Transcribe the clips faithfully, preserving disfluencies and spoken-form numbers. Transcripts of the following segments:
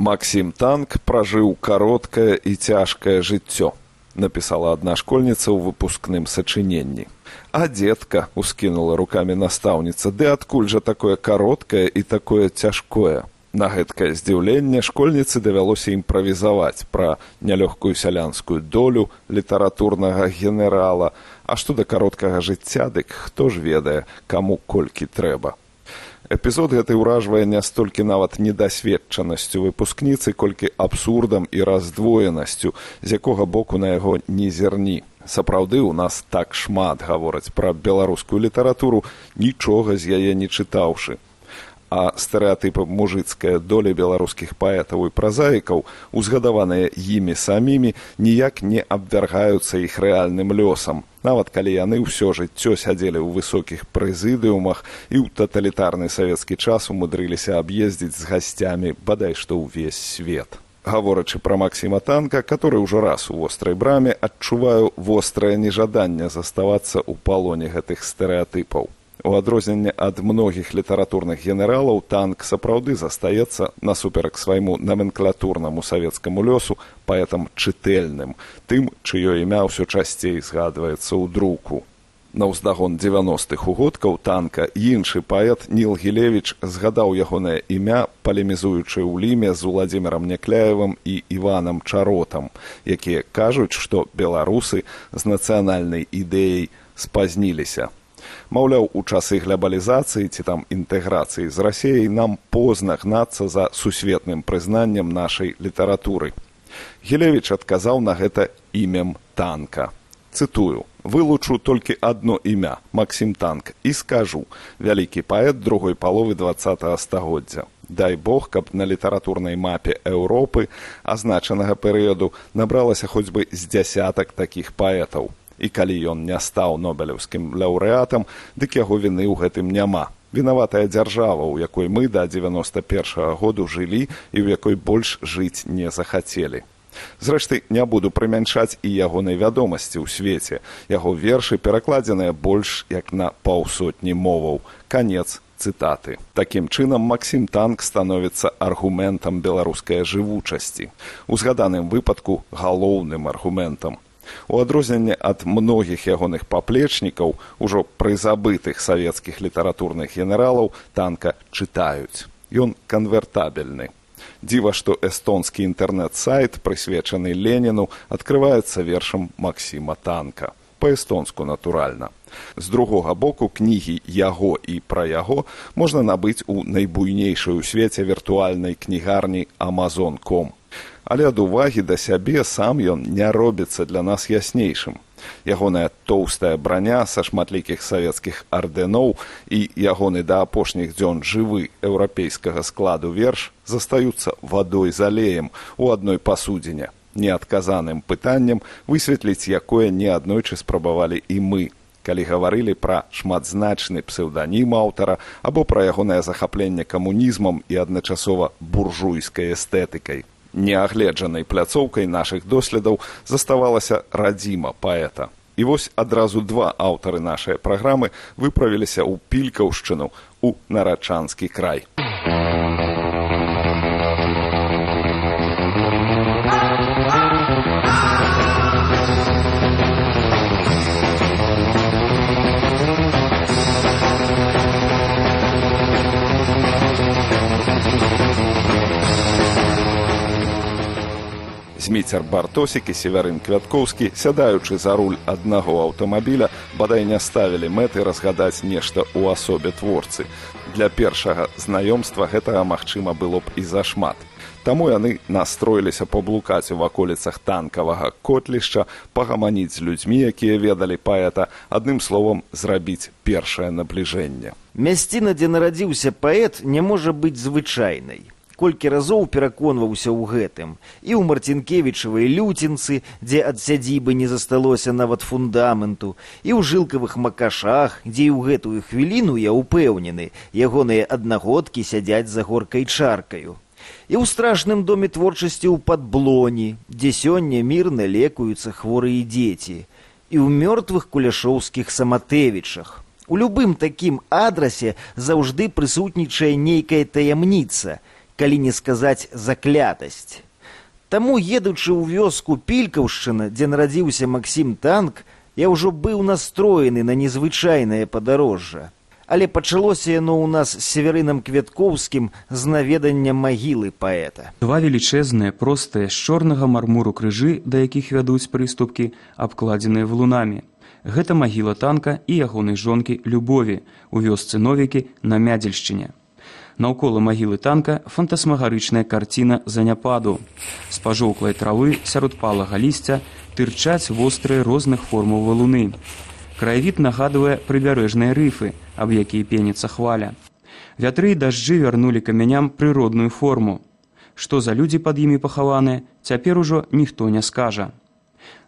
Максім Танк пражыў кароткае і цяжкае жыццё, напісала адна школьніца ў выпускным сачыненні. А дзетка, ускінула рукамі настаўніца, ды адкуль жа такое кароткае і такое цяжкое? На гэткае здзіўленне школьніцы давялося імправізаваць пра нялёгкую сялянскую долю літаратурнага генерала, а што да кароткага жыцця, дык хто ж ведае, каму колькі трэба. Эпізод гэты ўражвае не столькі нават недасведчанасцю выпускніцы, колькі абсурдам і раздвоенасцю, з якога боку на яго не зерні. Сапраўды, у нас так шмат гавораць пра беларускую літаратуру, нічога з яе не чытаўшы. А стэрэатыпы мужыцкай долі беларускіх паэтаў і празаікаў, узгадаваныя імі самімі, ніяк не абвяргаюцца іх рэальным лёсам, нават калі яны ўсё жыццё сядзелі ў высокіх прэзідыумах і ў таталітарны савецкі час умудрыліся аб'ездзіць з гасцямі бадай што ўвесь свет. Гаворачы пра Максіма Танка, который ўжо раз у вострай браме, адчуваю вострае нежаданне заставацца ў палоне гэтых стэрэатыпаў. У адрозненне ад многіх літаратурных генералаў, Танк сапраўды застаецца, насуперак свайму наменклатурнаму савецкаму лёсу, паэтам чытэльным, тым, чыё імя ўсё часцей згадваецца ў друку. На ўздагон дзевяностых угодкаў Танка іншы паэт Ніл Гілевіч згадаў ягонае імя, палемізуючы ў ліме з Уладзімірам Някляевым і Іванам Чаротам, якія кажуць, што беларусы з нацыянальнай ідэяй спазніліся. Маўляў, у часы глобалізацыі ці там інтэграцыі з Расіяй нам позна гнацца за сусветным прызнаннем нашай літаратуры. Гілевіч адказаў на гэта імем Танка. Цытую: «Вылучу толькі адно імя, Максім Танк, і скажу, вялікі паэт другой паловы дваццатага стагоддзя. Дай Бог, каб на літаратурнай мапе Еўропы азначанага перыяду набралася хоць бы з дзясятак такіх паэтаў. І калі ён не стаў нобелеўскім лаўрэатам, дык яго віны ў гэтым няма. Вінаватая дзяржава, у якой мы да дзевяноста першага году жылі і ў якой больш жыць не захацелі. Зрэшты, не буду прымяншаць і ягонай вядомасці ў свеце. Яго вершы перакладзеныя больш як на паўсотні моваў. Канец цытаты. Такім чынам, Максім Танк становіцца аргументам беларускай жывучасці. У згаданым выпадку галоўным аргументам. У адрозненне ад многіх ягоных паплечнікаў, ужо прызабытых савецкіх літаратурных генералаў, Танка чытаюць. Ён канвертабельны. Дзіва, што эстонскі інтэрнэт-сайт, прысвечаны Леніну, адкрываецца вершам Максіма Танка. Па-эстонску, натуральна. З другога боку, кнігі яго і пра яго можна набыць у найбуйнейшай у свеце віртуальнай кнігарні Amazon точка ком. Але ад увагі да сябе сам ён не робіцца для нас яснейшым. Ягоная тоўстая браня са шматлікіх савецкіх ардэноў і ягоны да апошніх дзён жывы еўрапейскага складу верш застаюцца вадой з алеем у адной пасудзіне, неадказаным пытаннем, высветліць якое неаднойчы спрабавалі і мы, калі гаварылі пра шматзначны псеўданім аўтара або пра ягонае захапленне камунізмам і адначасова буржуйскай эстэтыкай. Неагледжанай пляцоўкай нашых доследаў заставалася радзіма паэта. І вось адразу два аўтары нашай праграмы выправіліся ў Пількаўшчыну, у Нарачанскі край. Зміцер Бартосік і Севярын Квяткоўскі, сядаючы за руль аднаго аўтамабіля, бадай не ставілі мэты разгадаць нешта ў асобе творцы. Для першага знаёмства гэтага магчыма было б і зашмат. Таму яны настроіліся паблукаць у ваколіцах танкавага котлішча, пагаманіць з людзьмі, якія ведалі паэта, адным словам, зрабіць першае набліжэнне. Мясціна, дзе нарадзіўся паэт, не можа быць звычайнай. Колькі разоў пераконваўся ў гэтым. І ў Марцінкевічавай Люцінцы, дзе ад сядзібы не засталося нават фундаменту, і ў жылкавых Макашах, дзе і ў гэтую хвіліну, я ўпэўнены, ягоныя аднагодкі сядзяць за горкай чаркаю. І ў страшным доме творчасці ў Падблоні, дзе сёння мірна лекуюцца хворыя дзеці. І ў мёртвых куляшоўскіх Саматэвічах. У любым такім адрасе заўжды прысутнічае нейкая таямніца, калі не сказаць заклятасць. Таму, едучы ў вёску Пількаўшчына, дзе нарадзіўся Максім Танк, я ўжо быў настроены на незвычайнае падарожжа. Але пачалося яно ў нас з Северынам Квяткоўскім з наведання магілы паэта. Два велічэзныя, простыя, з чорнага мармуру крыжы, да якіх вядуць прыступкі, абкладзеныя валунамі. Гэта магіла Танка і ягонай жонкі Любові у вёсцы Новікі на Мядзельшчыне. Наўкола магілы Танка фантасмагарычная карціна заняпаду. З пажоўклай травы сярод палага лісця тырчаць вострыя розных формаў валуны. Краявід нагадвае прыбярэжныя рыфы, аб якія пеніцца хваля. Вятры і дажджы вярнулі камяням прыродную форму. Што за людзі пад імі пахаваныя, цяпер ужо ніхто не скажа.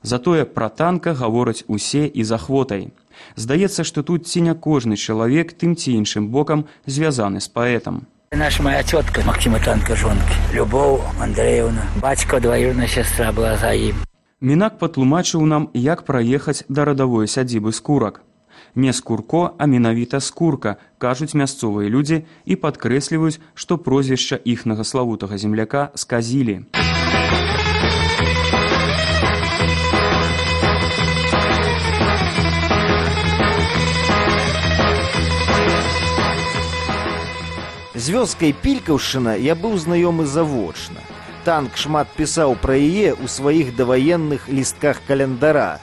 Затое пра Танка гавораць усе і з ахвотай. Здаецца, што тут ці не кожны чалавек тым ці іншым бокам звязаны з паэтам. Наша моя тетка Максима Танка жонки, Любов Андреевна, бацька двоюродная сестра была за ім. Мінак патлумачыў нам, як праехаць да радавой сядзібы Скурак. Не Скурко, а менавіта Скурка, кажуць мясцовыя людзі і падкрэсліваюць, што прозвішча іхнага славутага земляка сказілі. З вёскай Пількаўшчына я быў знаёмы завочна. Танк шмат пісаў пра яе ў сваіх даваенных лістках календара.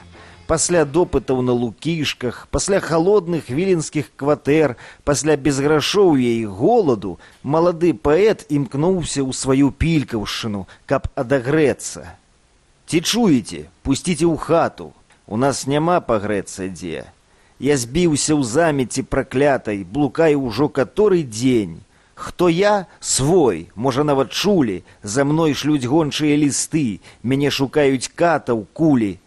Пасля допытаў на Лукішках, пасля халодных віленскіх кватэр, пасля безграшоўя і голаду, малады паэт імкнуўся ў сваю Пількаўшчыну, каб адагрэцца. Ці чуеце, пусціце ў хату, у нас няма пагрэцца дзе. Я збіўся ў замеці праклятай, блукаю ўжо каторы дзень. Хто я? Свой, можа нават чулі, за мной шлюць гончыя лісты, мяне шукаюць катаў, кулі.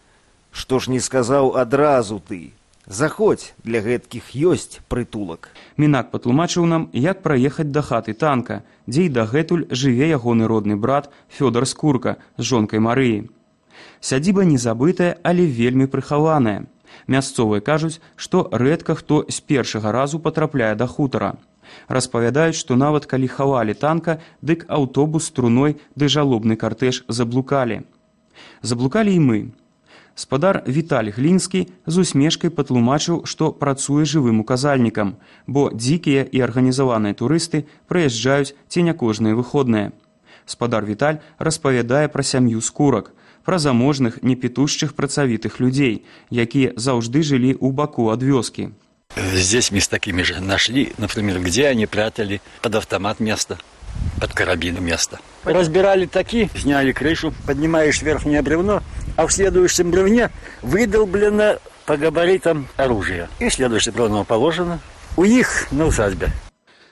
Што ж не сказаў адразу ты? Заходзь, для гэткіх ёсць прытулак. Мінак патлумачыў нам, як праехаць да хаты Танка, дзе і дагэтуль жыве ягоны родны брат Фёдар Скурка з жонкай Марыі. Сядзіба незабытая, але вельмі прыхаваная. Мясцовыя кажуць, што рэдка хто з першага разу патрапляе да хутара. Распавядаюць, што нават калі хавалі Танка, дык аўтобус струной ды жалобны картэж заблукалі. Заблукалі і мы. Спадар Віталь Глінскі з усмешкай патлумачыў, што працуе жывым указальнікам, бо дзікія і арганізаваныя турысты прыязджаюць ці не кожныя выходныя. Спадар Віталь распавядае пра сям'ю Скурак, пра заможных, непітушчых працавітых людзей, якія заўжды жылі ў баку ад вёскі. Здесь мы с такими же нашли, например, где они прятали под автомат место, под карабин место. Разбирали таки, сняли крышу, поднимаешь верхнее бревно, а в следующем бревне выдолблено по габаритам оружие. И следующее бревно положено у них на усадьбе.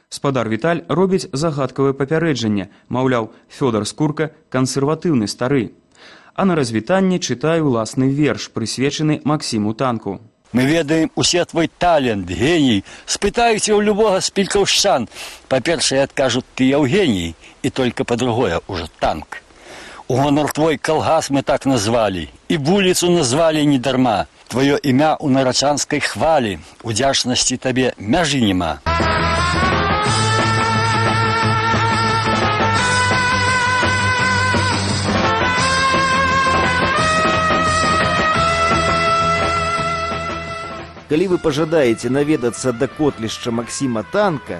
Спадар Віталь робіць загадкавае папярэджанне, маўляў, Фёдар Скурка кансерватыўны стары. А на развітанне чытае ўласны верш, прысвечаны Максіму Танку. Мы ведаем усе твой талент, гений. Спытаюся у любого з пількаўшчан. Па-першае, адкажут, ты Евгений, и только по-другое уже Танк. У гонор твой калгас мы так назвали, и вулицу назвали недарма. Твое імя у нарачанской хвали, удзячнасці табе мяжы нема. Калі вы пажадаеце наведацца да котлішча Максіма Танка,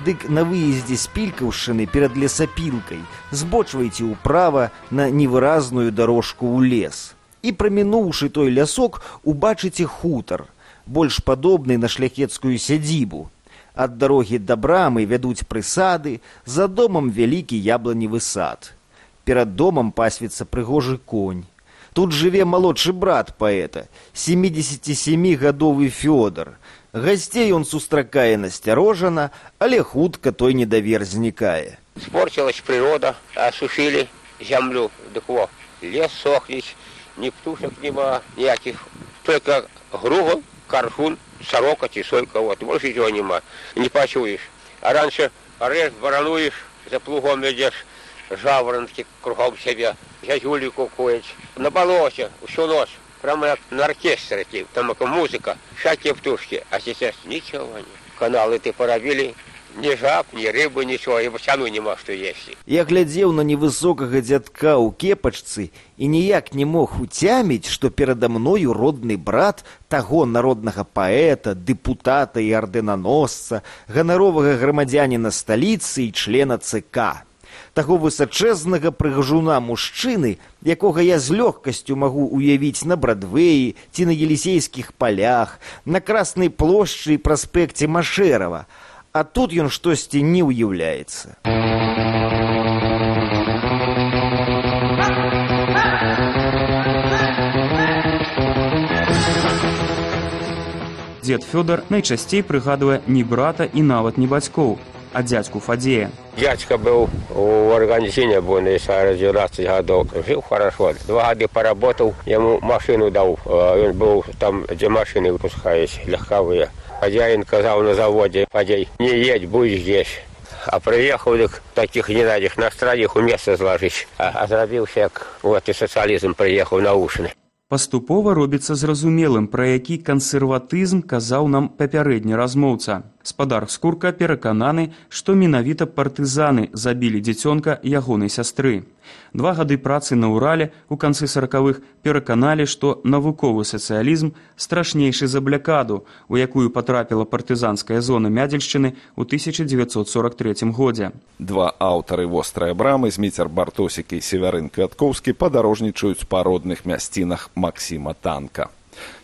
дык на выездзе з Пількаўшчыны перад лесапілкай збочвайце ўправа на невыразную дарожку ў лес. І прамінуўшы той лясок, убачыце хутар, больш падобны на шляхецкую сядзібу. Ад дарогі да брамы вядуць прысады, за домам вялікі ябланевы сад. Перад домам пасвіцца прыгожы конь. Тут жыве малодшы брат паэта, сямідзесяцісямігадовы Фёдар. Гасцей он сустракае насцярожана, але хутка той недавер знікае. Спорчилась природа, осушили землю, дык во, лес сохнет, ни птушек нема, никаких, только груга, карфун, сорока, тисойка, вот, больше ничего нема, не почуешь. А раньше орешь, барануешь, за плугом идешь, жаворонки кругом себя, зязюли кукують. На болоте всю ночь, прямо как на оркестре, там музыка, всякие птушки, а сейчас ничего нет. Каналы ты поробили, Ни жаб, ни рыбы, ничего, и бочану не мог что есть. Я глядзеў на невысокага дзядка ў кепачцы і ніяк не мог уцяміць, што перада мною родны брат таго народнага паэта, дэпутата і ардэнаносца, ганаровага грамадзяніна сталіцы і члена ЦК. Таго высачэзнага прыгажуна мужчыны, якога я з лёгкасцю магу уявіць на Брадвеі ці на Елісейскіх палях, на Краснай плошчы і праспекце Машэрава. А тут ён штосьці не ўяўляецца. Дзед Фёдар найчасцей прыгадвае не брата і нават не бацькоў, а дзядзьку Фадзея. Дядька был в организме с девятнадцати годов. Жил хорошо. Два года поработал, ему машину дал. Он был там, где машины выпускались, легковые. Хозяин сказал на заводе: Фадей, не едь, будь здесь. А приехал, так таких не надо, на стране их у места сложить. А, а зрабился, как вот и социализм приехал наушны. Паступова робіцца зразумелым, пра які кансерватызм казаў нам папярэдні размоўца. Спадар Скурка перакананы, што менавіта партызаны забілі дзіцёнка ягонай сястры. Два гады працы на Урале ў канцы саракавых пераканалі, што навуковы сацыялізм страшнейшы за блякаду, у якую патрапіла партызанская зона Мядзельшчыны ў тысяча дзевяцьсот сорок трэцім годзе. Два аўтары вострай брамы, Зміцер Бартосік і Севярын Квяткоўскі, падарожнічаюць па родных мясцінах Максіма Танка.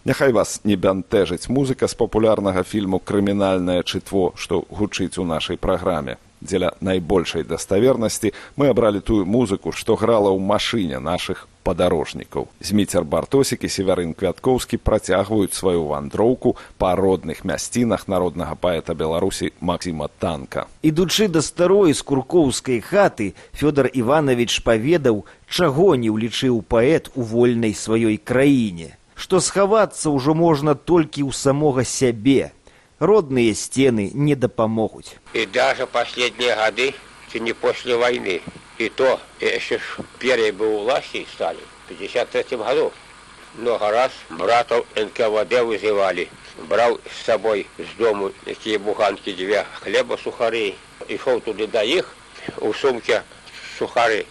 Няхай вас не бянтэжыць музыка з папулярнага фільму «Крымінальнае чытво», што гучыць у нашай праграме. Дзеля найбольшай даставернасці мы абралі тую музыку, што грала ў машыне нашых падарожнікаў. Зміцер Бартосік і Севярын Квяткоўскі працягваюць сваю вандроўку па родных мясцінах народнага паэта Беларусі Максіма Танка. Ідучы да старой скуркоўскай хаты, Фёдар Іванович паведаў, чаго не ўлічыў паэт у вольнай сваёй краіне. Што схавацца ўжо можна толькі ў самога сябе. Родныя сцены не дапамогуць. И даже последние годы, не после войны, и то, еще первые бы у власти стали, в пятьдесят третьем году, много раз братов эн ка вэ дэ вызывали. Брал с собой с дому такие буханки, две хлеба, сухари, и шел туда до их, у сумки сухари,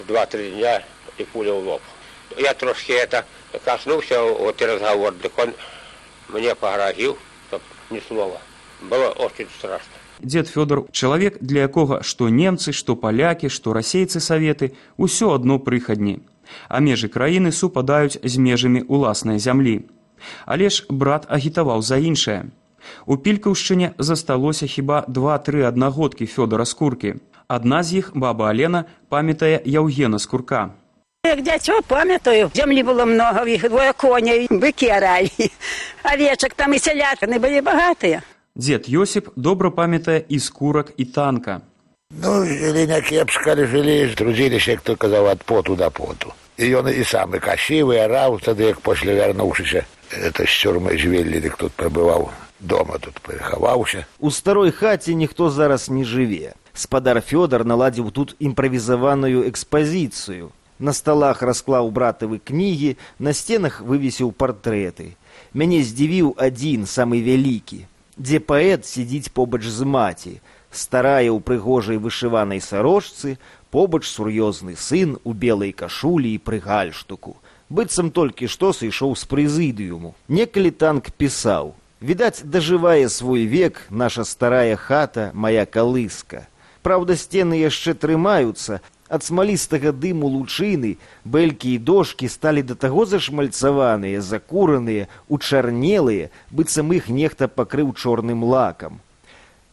два-три дня, и пуля в лоб. Я трошки это коснулся, вот и разговор, так он мне погрозил, чтоб ни слова. Было очень страшно. Дзед Фёдар – чалавек, для якога што немцы, што палякі, што расейцы саветы – усё адно прыхадні. А межы краіны супадаюць з межамі ўласнай зямлі. Але ж брат агітаваў за іншае. У Пількаўшчыне засталося хіба два-тры аднагодкі Фёдара Скуркі. Адна з іх, баба Алена, памятае Яўгена Скурка. Як дзяцё памятаю, зямлі было много, в іх двое коней, быкі аралі. Авечак там і сялятыны былі багатыя. Дзед Йосіп добра памятае і Скурак, і Танка. Ну, жили не кепска, жили, трудились, як то казав, от поту до поту. І ён і сам і касіў, і араў, тады, як пасля вярнуўшыся, это з цюрмай звелі, дык тут прабываў дома, тут перахаваўся. У старой хаце ніхто зараз не жыве. Спадар Фёдар наладзіў тут імправізаваную экспазіцыю. На сталах расклаў братавы кнігі, на сценах вывесіў партрэты. Мяне здзівіў адзін, самы вялікі, дзе паэт сядзіць побач з маці, старая ў прыгожай вышыванай сарочцы, побач сур'ёзны сын у белай кашулі і пры гальштуку. Быццам толькі што сышоў з прэзідыуму. Некалі Танк пісаў: «Відаць, дажывае свой век наша старая хата, моя калыска. Праўда, сцены яшчэ трымаюцца, ад смалістага дыму лучыны бэлькі і дошкі сталі да таго зашмальцаваныя, закураныя, учарнелыя, быццам іх нехта пакрыў чорным лакам».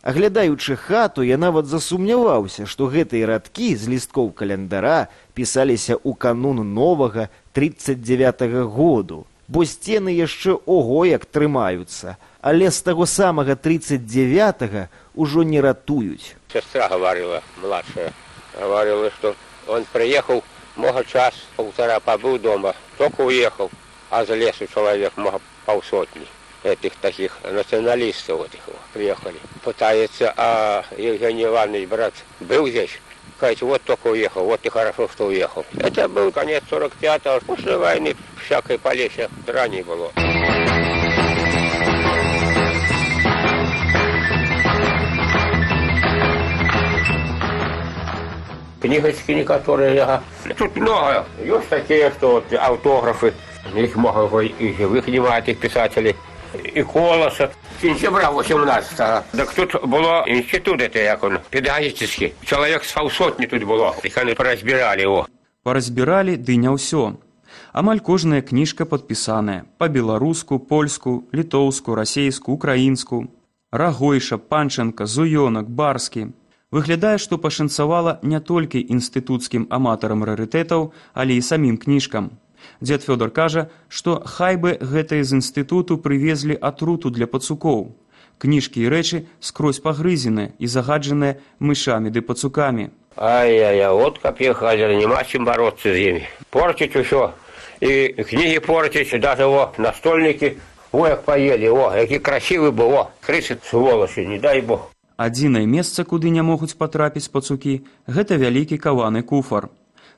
Аглядаючы хату, я нават засумняваўся, што гэтыя радкі з лісткоў календара пісаліся ў канун новага трыццаць дзявятага году, бо сцены яшчэ ого як трымаюцца, але з таго самага трыццаць дзявятага ўжо не ратуюць. Сестра говорила, младшая, говорила, что он приехал, много час, полтора побыл дома, только уехал, а за лесу человек, много полсотни этих таких националистов вот их приехали. Пытается, а Евгений Иванович, брат, был здесь, сказать, вот только уехал, вот и хорошо, что уехал. Это был конец сорок пятого, после войны всякой полеся драни было. Книгочки некоторые. Ага. Тут много. Есть такие, что вот, автографы. Их много и живых немає тих писателей. І Колоса. Сентября восемнадцатого. Так тут було інститут, це як він, педагогічний. Чоловік з півсотні тут було. Їх вони порозбирали його. Паразбіралі, ды не ўсё. Амаль кожная кніжка падпісаная па-беларуску, польску, літоўску, расейску, украінску. Рагойша, Панченка, Зуёнак, Барскі. Выглядае, што пашанцавала не толькі інстытуцкім аматарам рарытэтаў, але і самім кніжкам. Дзед Фёдор кажа, што хай бы гэтыя з інстытуту прывезлі атруту для пацукоў. Кніжкі і рэчы скрозь пагрызеныя і загаджаныя мышамі ды пацукамі. Ай-яй-яй, от каб ехали, нема чым бороться з імі. Портить усё. І кнігі портить, даже о, настольники, о, як поели, о, які красивый был, о, крысы, сволочи, не дай бог. Адзінае месца, куды не могуць патрапіць пацукі, гэта вялікі каваны куфар.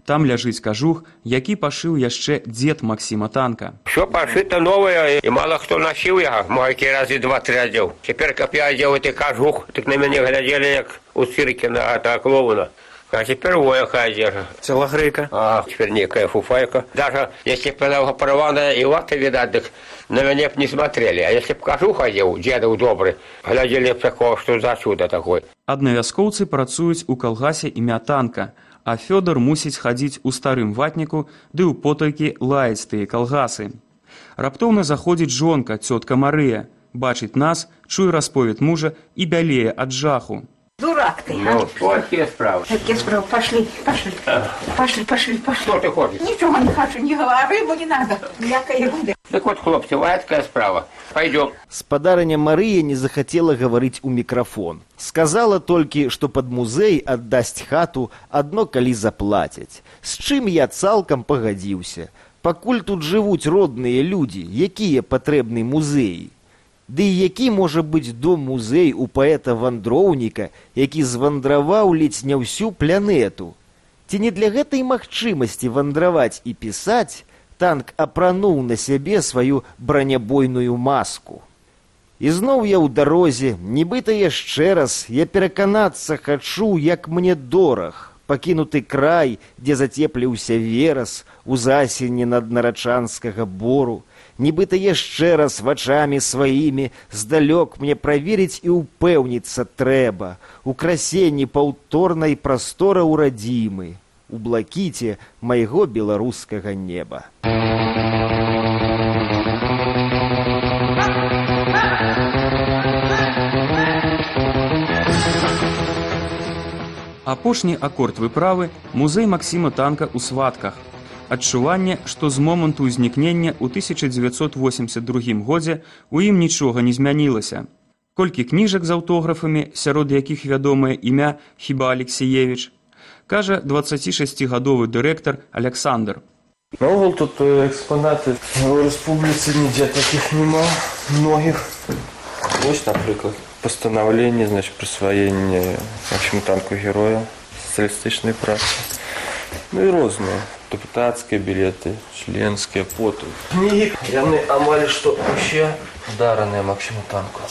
Там ляжыць кажух, які пашыў яшчэ дзед Максіма Танка. Все пошито новое, и мало кто носил его. Мойки разы два-три одел. Теперь, как я одел этот кажух, так на меня глядели, как у цирке на этого клоуна. А теперь вояка одежда. Целогрейка. А, теперь некая фуфайка. Даже если бы она порванная и латы, видать, так на меня бы не смотрели. А если бы кажух одел, дедов добрый, глядели бы такого, что за чудо такое. Аднавяскоўцы працуюць у калгасе імя Танка, а Фёдор мусіць хадзіць у старым ватніку ды ў потайкі лаяць тыя калгасы. Раптоўна заходзіць жонка, цётка Марыя, бачыць нас, чуе расповед мужа і бялее ад жаху. Дурак ты, а? Ну, какие справы? Какие справы? Пошли, пошли. Пошли, пошли, пошли. Что ты хочешь? Ничего не хочу, не говори, рыбу не надо. Мякая ерунда. Так вот, хлопцы, вот такая справа. Пойдем. Спадарыня Марыя не захацела гаварыць у мікрафон. Сказала толькі, што пад музей аддасць хату адно калі заплацяць. З чым я цалкам пагадзіўся. Пакуль тут жывуць родныя людзі, якія патрэбны музеі. Ды і які можа быць дом-музей у паэта-вандроўніка, які звандраваў ледзь не ўсю планету? Ці не для гэтай магчымасці вандраваць і пісаць Танк апрануў на сябе сваю бранябойную маску? І зноў я ў дарозе, нібыта яшчэ раз, я пераканацца хачу, як мне дораг, пакінуты край, дзе зацепліўся верас у засені над нарачанскага бору. Нібыта яшчэ раз вачамі сваімі здалёк мне праверыць і ўпэўніцца трэба у красенні паўторнай прастора ў радзімы, у блакіце майго беларускага неба. Апошні акорд выправы музей Максіма Танка ў сватках. Адчуванне, што з моманту ўзнікнення ў тысяча дзевяцьсот восемьдесят другім годзе у ім нічога не змянілася. Колькі кніжак з аўтографамі, сярод якіх вядомае імя Хіба Алексіевіч, кажа дваццацішасцігадовы дырэктар Александр. Наогул тут экспонаты у рэспубліцы нідзе такіх нема, многіх. Вось, напрыклад, пастанаўленне, значит, прысваення Максіму Танку героя сацыялістычнай працы. Ну і розныя. Депутатскія білеты, членскія, поту. Кнігі, яны амаль што ўсе дараныя Максіму Танку.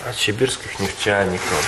Ад сібірскіх нефтянікаў,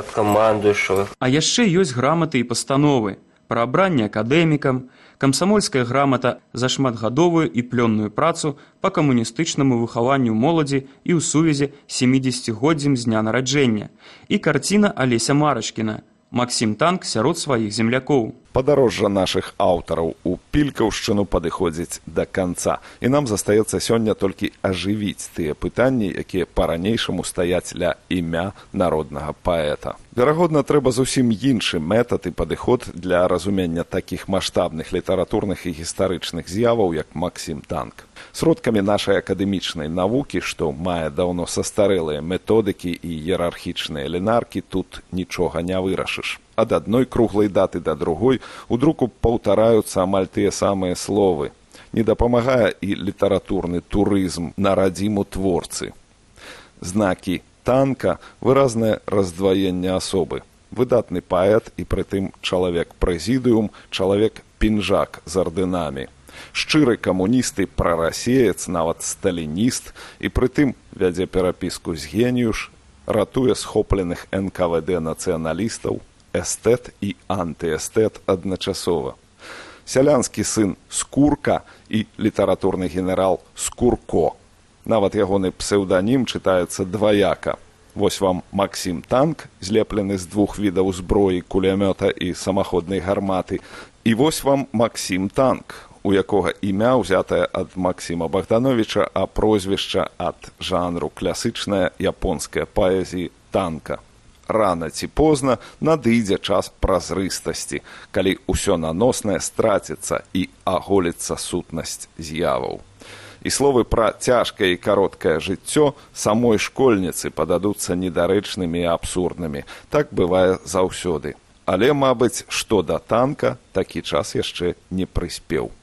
ад камандуючых. А яшчэ ёсць граматы і пастановы пра абранне акадэмікам, камсамольская грамата за шматгадовую і плённую працу па камуністычнаму выхаванню моладзі і ў сувязі з сямідзесяцігоддзем з дня нараджэння, і карціна Алеся Марачкіна «Максім Танк сярод сваіх землякоў». Падарожжа нашых аўтараў у Пількаўшчыну падыходзіць да канца. І нам застаецца сёння толькі ажывіць тыя пытанні, якія па-ранейшаму стаяць ля імя народнага паэта. Верагодна, трэба зусім іншы метад і падыход для разумення такіх маштабных літаратурных і гістарычных з'яваў, як Максім Танк. Сродкамі нашай акадэмічнай навукі, што мае даўно састарэлыя методыкі і іерархічныя лінаркі, тут нічога не вырашыш. Ад адной круглай даты да другой у друку паўтараюцца амаль тыя самыя словы. Не дапамагае і літаратурны турызм на радзіму творцы. Знакі Танка – выразнае раздваенне асобы. Выдатны паэт і прытым чалавек-прэзідыум, чалавек-пінжак з ардынамі. Шчыры камуніст і прарасеец, нават сталініст, і прытым вядзе перапіску з геніюш ратуе схопленых эн ка вэ дэ нацыяналістаў, эстэт і антыэстэт адначасова. Сялянскі сын Скурка і літаратурны генерал Скурко. Нават ягоны псеўданім чытаецца дваяка. Вось вам Максім Танк, злеплены з двух відаў зброі, кулямёта і самаходнай гарматы. І вось вам Максім Танк, у якога імя ўзятае ад Максіма Богдановича, а прозвішча ад жанру класычная японская паэзіі танка. Рана ці позна надыдзе час празрыстасці, калі ўсё наноснае страціцца і аголіцца сутнасць з'яваў. І словы пра цяжкае і кароткае жыццё самой школьніцы пададуцца недарэчнымі і абсурднымі. Так бывае заўсёды. Але, мабыць, што да танка, такі час яшчэ не прыспеў.